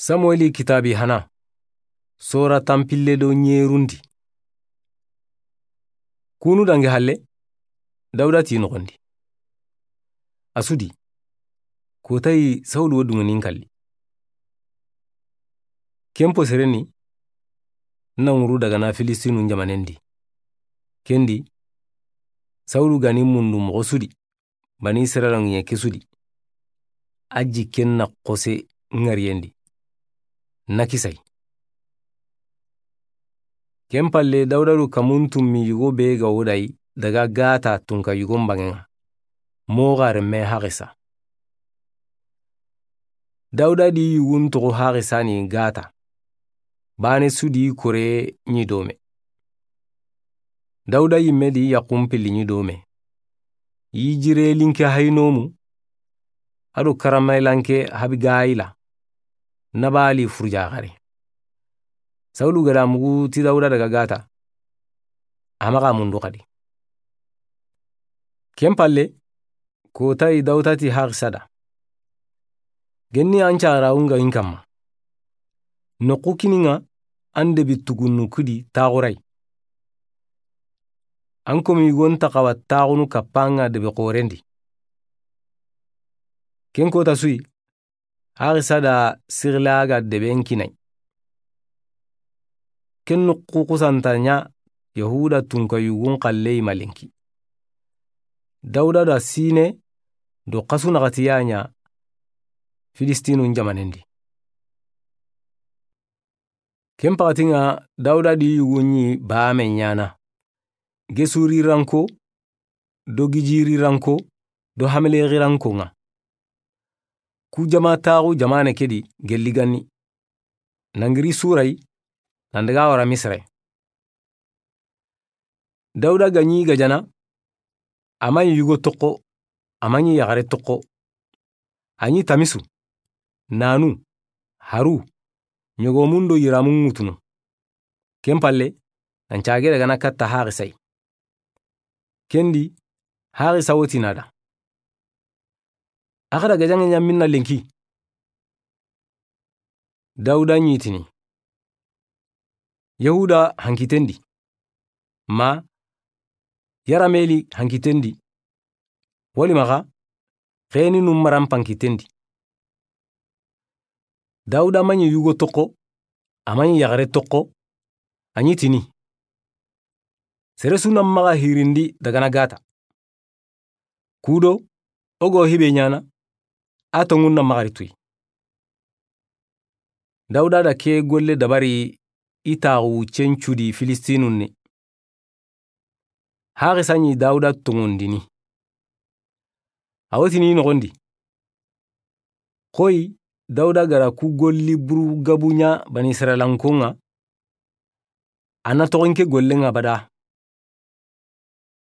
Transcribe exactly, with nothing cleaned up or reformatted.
Samueli kitaabi hana, sora tanpille do ɲerundi. Kunu dangi halle, Dawuda ti noxondi. A su di, kotayi Sawulu wo dunŋenin kalli. Ken po sereni, na ŋuru daga na Filistinun jamanen di. Ken di, Sawulu ga ni mundu moxo su di, Bani Israila ŋiɲe ke su di. A jikken na xose ŋariyen di. Na kisay. Ken palle Dawuda du kamun tummi yugo be ga wodayi daga Gata tunka yugon banŋen ŋa. Moxo renme Haxisa. Dawuda di yugun toxo Haxisa ni Gata. Bane su di kore ɲi dome. Dawuda yimme di yaxun pilli ɲi dome. Yijire linke Hayinomu, a do karamaylanke Habigayila, Nabali furujaxare. Sawulu ga da mugu ti Dawuda daga Gata, a maxa mundu xadi. Ken palle, kotayi Dawuda ti Haxisa da. Genni an carawun ga in kamma. Noxu kini ŋa an debi tugunnu kudi taxuray. An komi yugon taxawa taxunu kappa ŋa debe xoren di. Ken kota su yi, Haxisa da Sixila ga deben kinay. Ken noxu xusanta ɲa Yahuda tunka yugun xalle yi ma lenki. Dawuda da sine do xasu naxati ya ɲa Filistinun jamanen di. Ken paxati ŋa Dawuda di yugun ɲi bame ɲana. Gesuri ranko, do gijiri ranko, do hamele xiranko ŋa. Ku jama taxu jamane ke di gelli ganni. Nangiri suray, nan daga wara Misire. Dawuda ga ɲi gajana, a ma ɲi yugo toxo, a ma ɲi yaxare toxo. A ɲi tamisu, nanu, haru, ɲogomun do yiramun ŋutunu. Ken palle, nan cage daga na katta Haxisa yi. Ken di, Haxisa wo ti na da. A xa da gajaŋe ɲa minna lenki. Dawuda ɲi tini. Yahuda hankiten di. Ma, yarameli hankiten di. Wali maxa, xeni num maran pankiten di. Dawuda ma ɲi yugo toxo, a ma ɲi yaxare toxo, a ɲi tini. Sere su na maxa hirindi daga na Gata. Kudo, o go hibe ɲana, a tongun na maxa ri tuyi. Dawuda da ke golle dabari i taxu cencudi Filistinun ni. Haxisa ɲi Dawuda tongundini. A wo tini noxondi. Xoyi Dawuda ga da ku golli buru gabu ɲa Bani Israilankon ŋa, a na toxon ke gollen ŋa bada